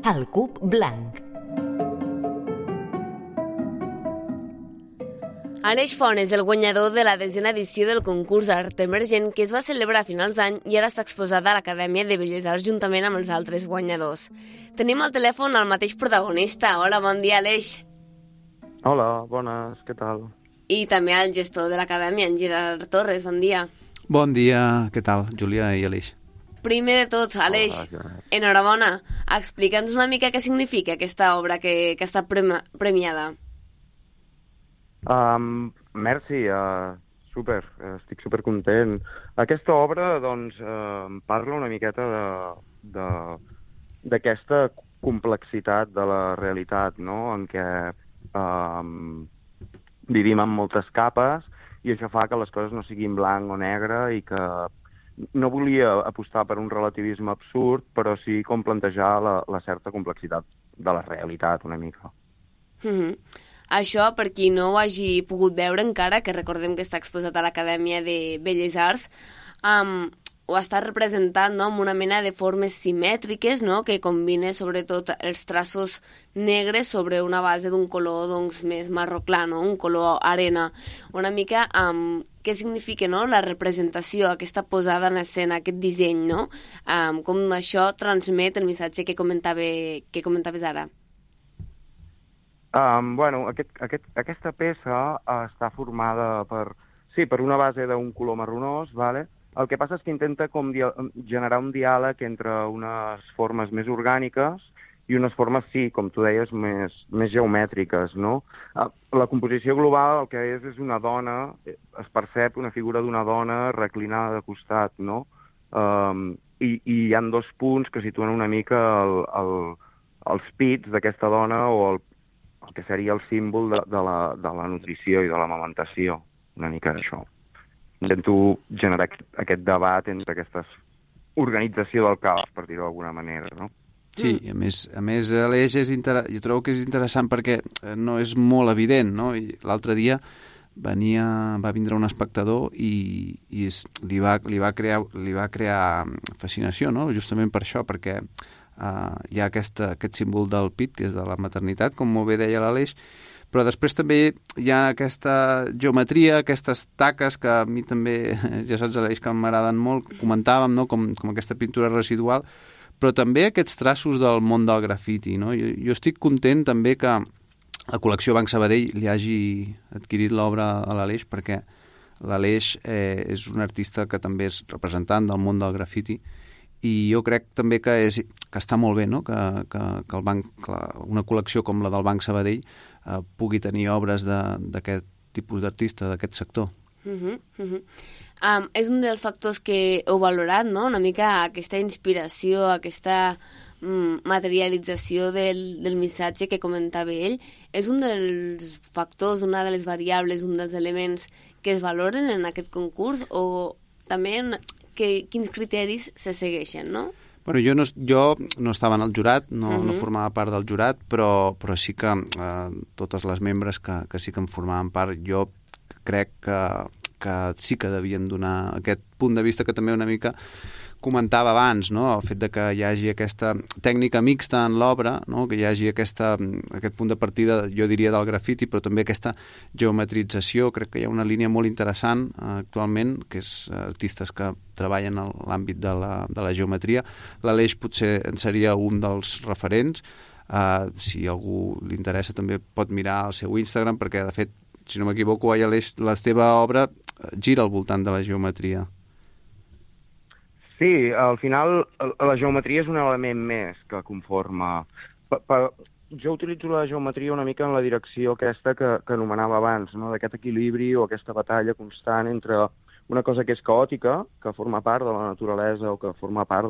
El cub blanc. Aleix Font és el guanyador de la 10a edició del concurs Art Emergent que es va celebrar a finals d'any i ara està exposada a l'Acadèmia de Belles Arts juntament amb els altres guanyadors. Tenim al telèfon el mateix protagonista. Hola, bon dia, Aleix. Hola, bones, què tal? I també el gestor de l'Acadèmia, en Gerard Torres, bon dia. Bon dia, què tal, Júlia i Aleix? Primer de tot, Aleix, enhorabona. Explica'ns una mica què significa aquesta obra que està premiada. Merci, super, estic supercontent. Aquesta obra, doncs, parla una miqueta d'aquesta complexitat de la realitat, no?, en què vivim en moltes capes i això fa que les coses no siguin blanc o negre i que no volia apostar per un relativisme absurd, però sí com plantejar la certa complexitat de la realitat una mica. Això, per qui no ho hagi pogut veure encara, que recordem que està exposat a l'Acadèmia de Belles Arts, ho està representant, no?, amb una mena de formes simètriques, no?, que combina sobretot els traços negres sobre una base d'un color doncs, més marró clar, no?, un color arena. Una mica què significa, no?, la representació, aquesta posada en escena, aquest disseny, no?, com això transmet el missatge que comentaves ara. Bueno, aquesta peça està formada per una base d'un color marronós, vale? El que passa és que intenta com generar un diàleg entre unes formes més orgàniques i unes formes, sí, com tu deies, més geomètriques, no? La composició global el que és una dona, es percep una figura d'una dona reclinada de costat, no? I hi ha dos punts que situen una mica els pits d'aquesta dona o el que seria el símbol de la nutrició i de l'amamentació, una mica d'això. Intento generar aquest debat entre aquesta organització del caos, per dir-ho d'alguna manera, no? Sí, a més l'eix jo trobo que és interessant perquè no és molt evident, no? I l'altre dia va vindre un espectador i li va crear fascinació, no? Justament per això, perquè hi ha aquest símbol del pit, que és de la maternitat, com molt bé deia l'Aleix, però després també hi ha aquesta geometria, aquestes taques que a mi també, ja saps, Aleix, que m'agraden molt, comentàvem, no?, com aquesta pintura residual, però també aquests traços del món del grafiti, no? Jo estic content també que la col·lecció Banc Sabadell li hagi adquirit l'obra a l'Aleix, perquè l'Aleix és un artista que també és representant del món del grafiti, i jo crec també que està molt bé, no?, que una col·lecció com la del Banc Sabadell pugui tenir obres d'aquest tipus d'artista, d'aquest sector. És un dels factors que heu valorat, no?, una mica aquesta inspiració, aquesta materialització del missatge que comentava ell. És un dels factors, una de les variables, un dels elements que es valoren en aquest concurs, o també quins criteris se segueixen, no? Bueno, jo no estava en el jurat, no formava part del jurat, però sí que totes les membres que sí que en formaven part, jo crec que sí que devien donar aquest punt de vista que també una mica comentava abans, no?, el fet de que hi hagi aquesta tècnica mixta en l'obra, no?, que hi hagi aquest punt de partida, jo diria, del grafiti, però també aquesta geometrització. Crec que hi ha una línia molt interessant actualment, que és artistes que treballen en l'àmbit de la geometria. L'Aleix potser en seria un dels referents. Si a algú li interessa també pot mirar el seu Instagram, perquè de fet, si no m'equivoco, Aleix, la teva obra gira al voltant de la geometria. Sí, al final la geometria és un element més que conforma. Jo utilitzo la geometria una mica en la direcció aquesta que anomenava abans, no?, d'aquest equilibri o aquesta batalla constant entre una cosa que és caòtica, que forma part de la naturalesa o que forma part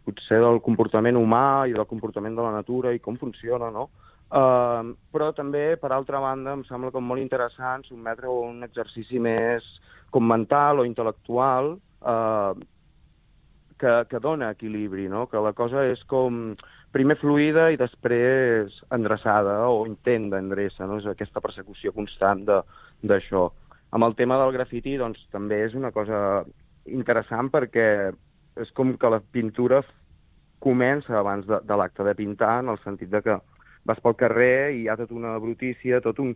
potser del comportament humà i del comportament de la natura i com funciona, no? Però també, per altra banda, em sembla com molt interessant sotmetre un exercici més com mental o intel·lectual que dona equilibri, no? Que la cosa és com primer fluida i després endreçada o intent d'endreça, no? És aquesta persecució constant d'això. Amb el tema del grafiti, doncs, també és una cosa interessant perquè és com que la pintura comença abans de l'acte de pintar, en el sentit de que vas pel carrer i hi ha tota una brutícia, tot un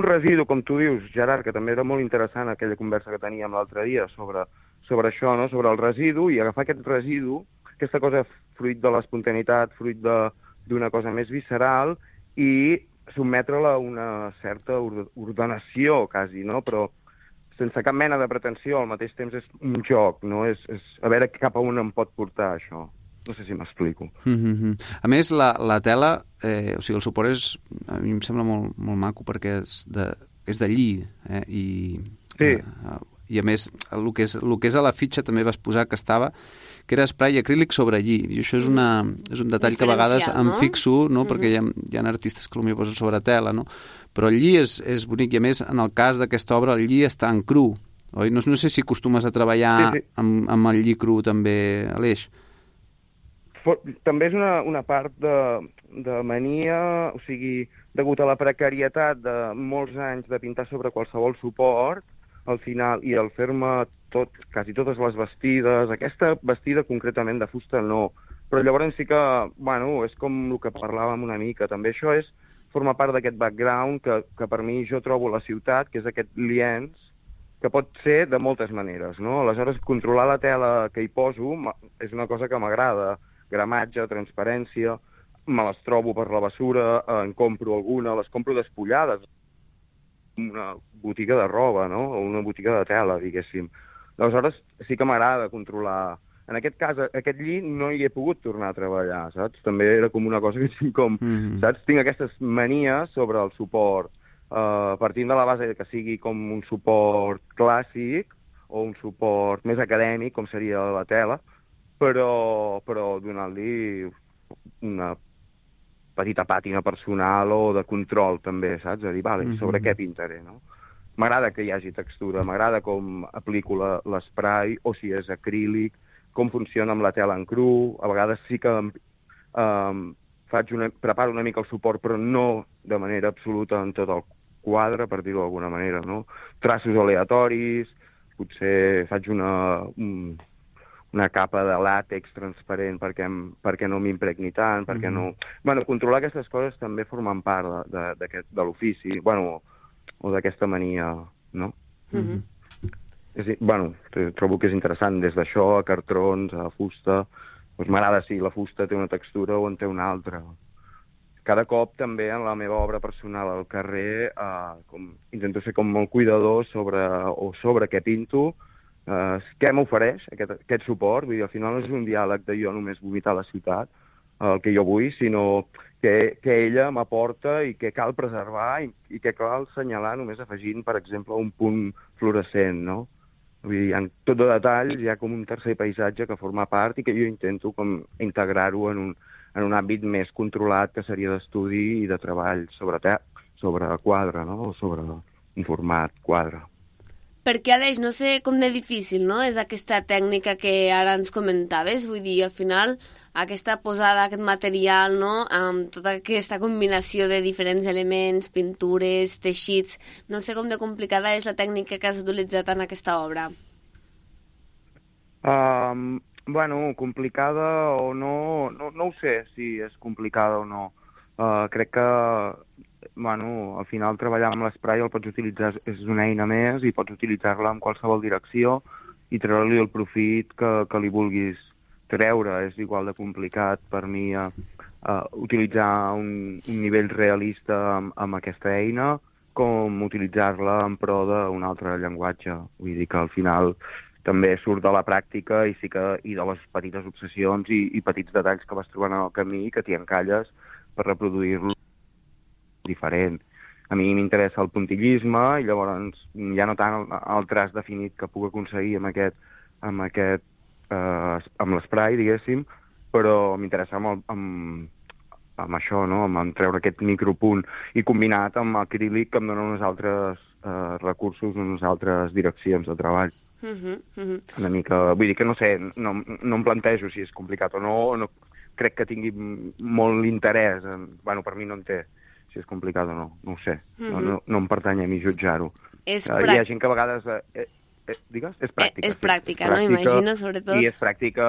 residu, com tu dius, Gerard, que també era molt interessant aquella conversa que teníem l'altre dia sobre això, no? Sobre el residu, i agafar aquest residu, aquesta cosa fruit de l'espontaneïtat, fruit d'una cosa més visceral, i sotmetre-la a una certa ordenació, quasi, no? Però sense cap mena de pretensió, al mateix temps és un joc, no? És a veure cap a on em pot portar això. No sé si m'explico. A més, la tela, o sigui, el suport a mi em sembla molt, molt maco perquè és de lli, Sí. I a més, el que és a la fitxa també vas posar que era spray acrílic sobre lli, i això és un detall que a vegades em fixo, no? Perquè hi ha artistes que potser posen sobre tela, no? Però el lli és bonic, i a més, en el cas d'aquesta obra, el lli està en cru, oi? No sé si acostumes a treballar amb el lli cru també, Aleix. També és una part de mania, o sigui, degut a la precarietat de molts anys de pintar sobre qualsevol suport, al final, i al fer-me quasi totes les vestides, aquesta vestida concretament de fusta no, però llavors sí que, bueno, és com el que parlàvem una mica, també això forma part d'aquest background que per mi jo trobo a la ciutat, que és aquest lienç, que pot ser de moltes maneres, no? Aleshores, controlar la tela que hi poso és una cosa que m'agrada, gramatge, transparència, me les trobo per la bessura, en compro alguna, les compro despullades, una botiga de roba, no? O una botiga de tela, diguéssim. Aleshores, sí que m'agrada controlar. En aquest cas, aquest lli no hi he pogut tornar a treballar, saps? També era com una cosa que tinc saps? Tinc aquestes manies sobre el suport, partint de la base que sigui com un suport clàssic o un suport més acadèmic, com seria la tela, però donant-li una petita pàtina personal o de control, també, saps? A dir, vale, sobre què pintaré, no? M'agrada que hi hagi textura, m'agrada com aplico l'esprai, o si és acrílic, com funciona amb la tela en cru. A vegades sí que preparo una mica el suport, però no de manera absoluta en tot el quadre, per dir-ho d'alguna manera, no? Traços aleatoris, potser faig una capa de làtex transparent perquè no m'impregni tant, perquè no... Bueno, controlar aquestes coses també formen part de l'ofici, bueno, o d'aquesta mania, no? Bueno, trobo que és interessant, des d'això a cartrons, a fusta, doncs m'agrada si la fusta té una textura o en té una altra. Cada cop també en la meva obra personal al carrer intento ser com molt cuidador sobre què pinto, què m'ofereix aquest suport. Vull dir, al final no és un diàleg de jo només vomitar a la ciutat el que jo vull, sinó que ella m'aporta i que cal preservar i que cal assenyalar només afegint, per exemple, un punt fluorescent, no? Vull dir, en tot de detall hi ha com un tercer paisatge que forma part i que jo intento com integrar-ho en un àmbit més controlat, que seria d'estudi i de treball sobre quadre, no? O sobre un format quadre. Perquè, Aleix, no sé com de difícil, no?, és aquesta tècnica que ara ens comentaves. Vull dir, al final, aquesta posada, aquest material, no?, amb tota aquesta combinació de diferents elements, pintures, teixits... No sé com de complicada és la tècnica que has utilitzat en aquesta obra. Bueno, complicada o no ho sé si és complicada o no. Crec que... Bueno, al final treballar amb l'esprai el pots utilitzar, és una eina més i pots utilitzar-la en qualsevol direcció i treure-li el profit que li vulguis treure. És igual de complicat per mi utilitzar un nivell realista amb aquesta eina com utilitzar-la en pro d'un altre llenguatge. Vull dir que al final també surt de la pràctica i de les petites obsessions i petits detalls que vas trobant en el camí i que t'hi encalles per reproduir-lo diferent. A mi m'interessa el puntillisme i llavors ja no tant el traç definit que puc aconseguir amb l'esprai, diguéssim, però m'interessa amb això, no? Amb treure aquest micropunt i combinat amb acrílic que em dona uns altres recursos, unes altres direccions de treball. Una mica... Vull dir que no sé, no em plantejo si és complicat o no crec que tingui molt interès. Bueno, per mi no en té, si és complicat o no ho sé. No em pertany a mi jutjar-ho. Hi ha gent que a vegades... Digues? És pràctica. És pràctica, no? Imagino, sobretot. I és pràctica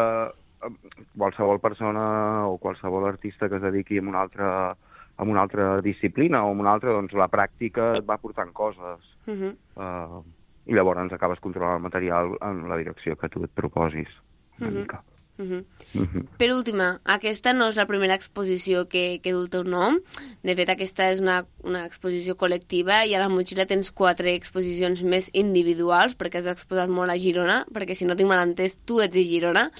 qualsevol persona o qualsevol artista que es dediqui a una altra disciplina o a una altra, doncs la pràctica et va portant coses. I llavors acabes controlant el material en la direcció que tu et proposis, una mica. Per última, aquesta no és la primera exposició que du el teu nom. De fet, aquesta és una exposició col·lectiva i a la motxilla tens 4 exposicions més individuals, perquè has exposat molt a Girona, perquè si no tinc mal entès, tu ets de Girona.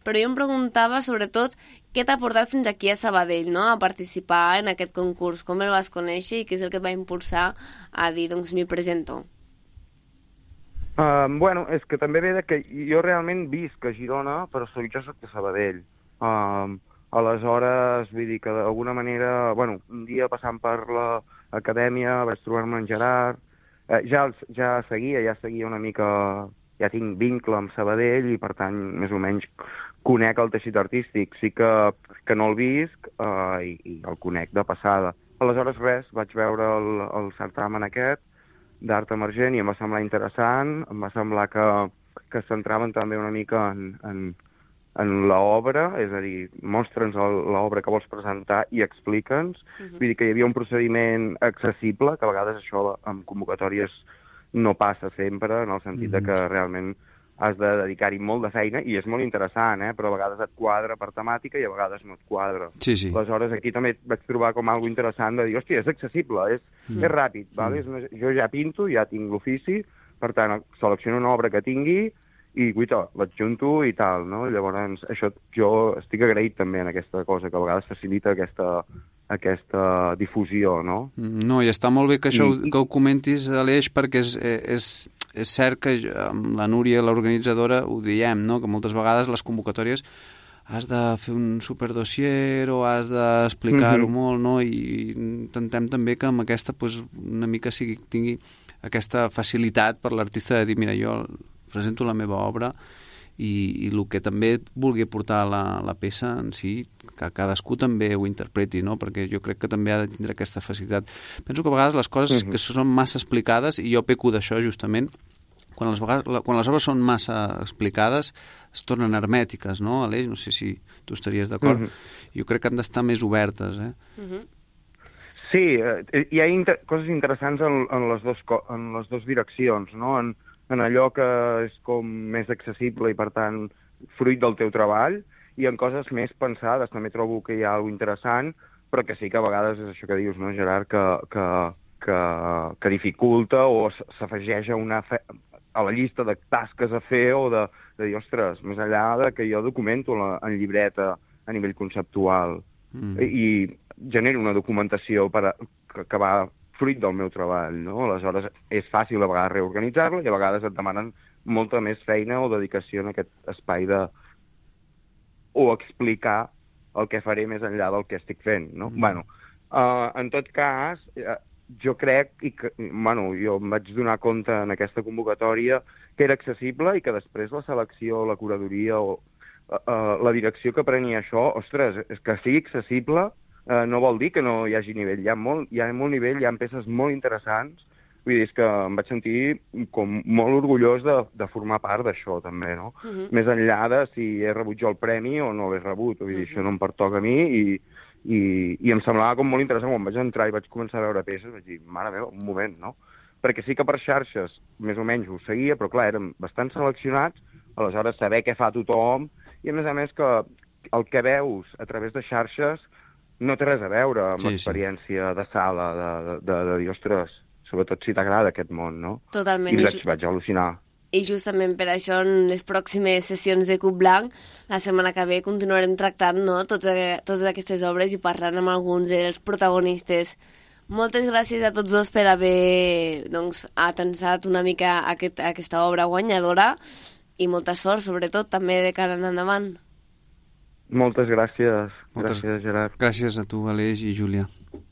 Però jo em preguntava, sobretot, què t'ha portat fins aquí a Sabadell, no?, a participar en aquest concurs? Com el vas conèixer i què és el que et va impulsar a dir, doncs, m'hi presento? Bueno, és que també ve que jo realment visc a Girona, però jo soc de Sabadell. Aleshores, vull dir que d'alguna manera, bueno, un dia passant per l'acadèmia vaig trobar-me en Gerard, ja seguia una mica, ja tinc vincle amb Sabadell i per tant més o menys conec el teixit artístic. Sí que no el visc i el conec de passada. Aleshores res, vaig veure el certamen aquest d'art emergent i em va semblar interessant, em va semblar que es centraven també una mica en l'obra, és a dir, mostra'ns l'obra que vols presentar i explica'ns. Vull dir que hi havia un procediment accessible, que a vegades això en convocatòries no passa sempre, en el sentit de que realment has de dedicar-hi molt de feina, i és molt interessant, però a vegades et quadra per temàtica i a vegades no et quadra. Sí. Aleshores, aquí també vaig trobar com algo interessant de dir, hòstia, és accessible, és ràpid, vale? Jo ja pinto, ja tinc l'ofici, per tant, selecciono una obra que tingui i, guaita, l'adjunto i tal, no? Llavors, això jo estic agraït també en aquesta cosa, que a vegades facilita aquesta difusió, no? No, i està molt bé que això que ho comentis, Aleix, perquè és cert que amb la Núria, l'organitzadora, ho diem, no?, que moltes vegades les convocatòries has de fer un superdossier o has d'explicar-ho molt, no?, i intentem també que amb aquesta una mica tingui aquesta facilitat per l'artista de dir, mira, jo presento la meva obra i el que també vulgui portar la peça en si, que cadascú també ho interpreti, no?, perquè jo crec que també ha de tindre aquesta facilitat. Penso que a vegades les coses que són massa explicades, i jo peco d'això justament, quan les obres són massa explicades es tornen hermètiques, no, Aleix? No sé si tu estaries d'acord. Jo crec que han d'estar més obertes, Sí, hi ha coses interessants en les dues direccions, no? En allò que és com més accessible i, per tant, fruit del teu treball, i en coses més pensades. També trobo que hi ha alguna interessant, però que sí que a vegades és això que dius, no, Gerard, que dificulta o s'afegeix a la llista de tasques a fer o de dir, ostres, més enllà de que jo documento en llibreta a nivell conceptual i genero una documentació que va fruit del meu treball, no? Aleshores, és fàcil a vegades reorganitzar-lo i a vegades et demanen molta més feina o dedicació en aquest espai o explicar el que faré més enllà del que estic fent, no? Bueno, en tot cas, jo crec, jo em vaig donar compte en aquesta convocatòria que era accessible i que després la selecció, la curadoria o la direcció que prenia això, ostres, és que sigui accessible no vol dir que no hi hagi nivell. Hi ha molt nivell, hi ha peces molt interessants. Vull dir, és que em vaig sentir com molt orgullós de formar part d'això, també, no? Més enllà de si he rebut jo el premi o no l'he rebut. Vull dir, això no em pertoca a mi i em semblava com molt interessant. Quan vaig entrar i vaig començar a veure peces, vaig dir, mare meva, un moment, no? Perquè sí que per xarxes més o menys ho seguia, però clar, eren bastant seleccionats, aleshores saber què fa tothom, i a més que el que veus a través de xarxes no té res a veure amb l'experiència de sala, de dir, ostres, sobretot si t'agrada aquest món, no? Totalment. I vaig al·lucinar. I justament per això en les pròximes sessions de Cub Blanc, la setmana que ve continuarem tractant, no, totes aquestes obres i parlant amb alguns dels protagonistes. Moltes gràcies a tots dos per haver atensat una mica aquesta obra guanyadora i molta sort, sobretot, també de cara en endavant. Moltes gràcies. Gràcies, Gerard. Gràcies a tu, Aleix i Júlia.